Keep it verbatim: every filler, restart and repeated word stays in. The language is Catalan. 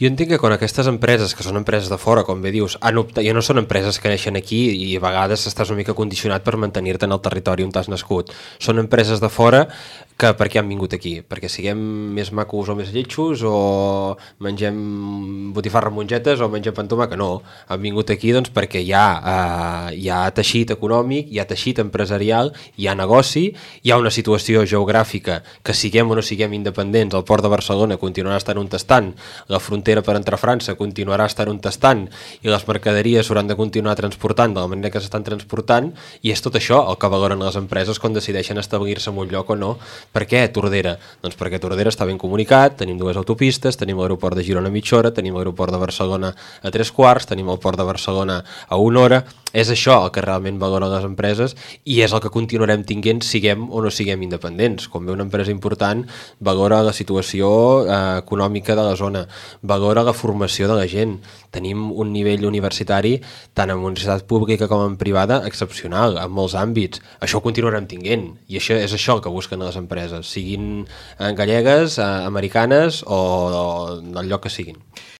Jo entenc que quan aquestes empreses, que són empreses de fora, com bé dius, han optat, ja no són empreses que neixen aquí i a vegades estàs una mica condicionat per mantenir-te en el territori on t'has nascut. Són empreses de fora que per què han vingut aquí? Perquè siguem més macos o més lletjos o mengem botifarra amb mongetes o mengem pa amb tomàquet? No, han vingut aquí doncs perquè hi ha, eh, hi ha teixit econòmic, hi ha teixit empresarial, hi ha negoci, hi ha una situació geogràfica que siguem o no siguem independents, el port de Barcelona continuarà estant on estan, la frontera per entrar a França continuarà estant on estan i les mercaderies s'hauran de continuar transportant de la manera que s'estan transportant, i és tot això el que valoren les empreses quan decideixen establir-se en un lloc o no. Per què Tordera? Doncs perquè Tordera està ben comunicat, tenim dues autopistes, tenim l'aeroport de Girona a mitja hora, tenim l'aeroport de Barcelona a tres quarts, tenim el port de Barcelona a una hora. És això el que realment valoren les empreses i és el que continuarem tinguent siguem o no siguem independents. Quan ve una empresa important, valora la situació eh, econòmica de la zona, valora la formació de la gent. Tenim un nivell universitari, tant en universitat pública com en privada, excepcional, en molts àmbits. Això ho continuarem tinguent i això és això el que busquen les empreses, siguin gallegues, americanes o del lloc que siguin.